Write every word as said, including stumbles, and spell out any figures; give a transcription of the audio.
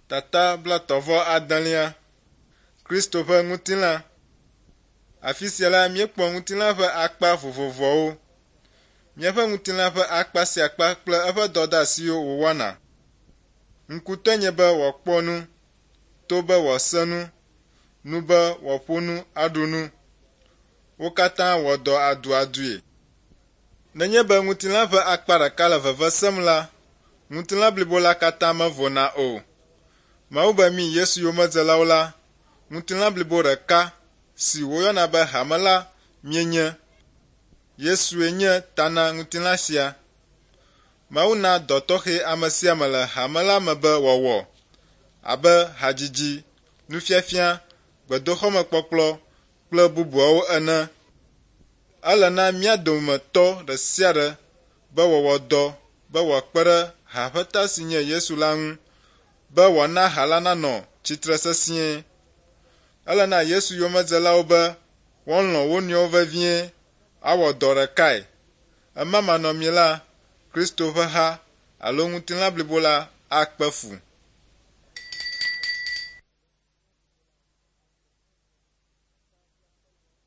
Tata blaetɔ̃ vɔ adelia. Kristo ƒe ŋutilã. Afi sia la, míekpɔ ŋutilã ƒe akpa vovovoawo. Míaƒe ŋutilã ƒe akpa sia akpa kple eƒe dɔdeasiwo wòwɔna. Ŋkutɔe nye be wòakpɔ nu, to be wòase nu, nu be wòaƒo nu aɖu nu. Wo katã wɔ dɔ aduadue. Nenye be ŋutilã ƒe akpa ɖeka le veve sem la, ŋutilã blibo la katã mevona o. Mawu be mí Yesu yomedzelawo la, ŋutilã blibo ɖeka si woyɔna be hame la míenye. Yesue nye ta na ŋutilã sia. Mawu na dɔ tɔxɛ ame sia ame le hame la me be wòawɔ abe hadzidzi, nufiafia, gbedoxɔmekpɔkplɔ kple bubuawo ene. Ele na mía dometɔ ɖe sia ɖe be wòawɔ dɔ be wòakpe ɖe ha ƒe ta si nye Yesu la ŋu be wòana ha la nanɔ tsitre sesĩe. Ele na Yesu yomedzelawo be woalɔ̃ wo nɔewo vevie awɔ dɔ ɖekae. Ema manɔmee la, Kristo ƒe ha alo ŋutilã blibo la akpe fu.